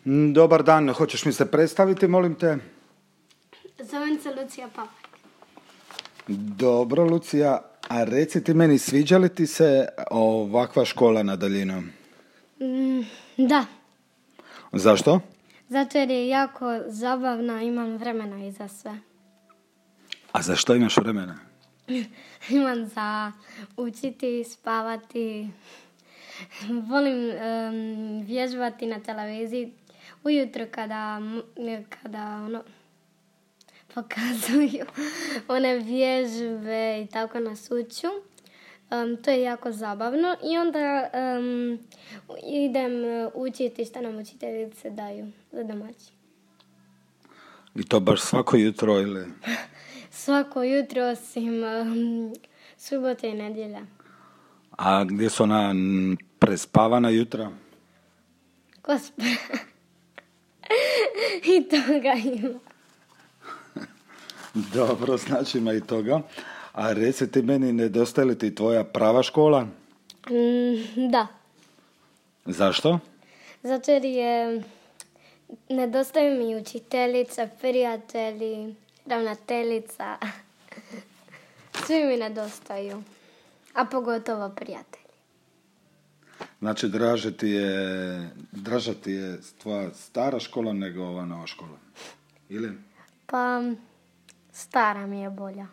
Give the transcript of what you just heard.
Dobar dan, hoćeš mi se predstaviti, molim te? Zovem se Lucija Papak. Dobro, Lucija, a reci ti meni, sviđa li ti se ovakva škola na daljinu? Da, Zašto? zato jer je jako zabavna, imam vremena i za sve. A za što imaš vremena? Imam za učiti, spavati, volim vježbati na televiziji. Ujutro kada pokazuju one vježbe i tako nas uču. To je jako zabavno i onda idem učiti što nam učiteljice daju za domaći. I to baš svako jutro ili? Svako jutro osim subote i nedjelja. A gdje su ona prespavana jutra? Gospod. I toga ima. Dobro, znači ima i toga. A reci ti meni, nedostaje li ti tvoja prava škola? Da. Zašto? Zato jer nedostaje mi učiteljica, prijatelji, ravnateljica. Svi mi nedostaju. A pogotovo prijatelji. Znači, draža ti je tvoja stara škola nego ova nova škola? Ili? Pa, stara mi je bolja.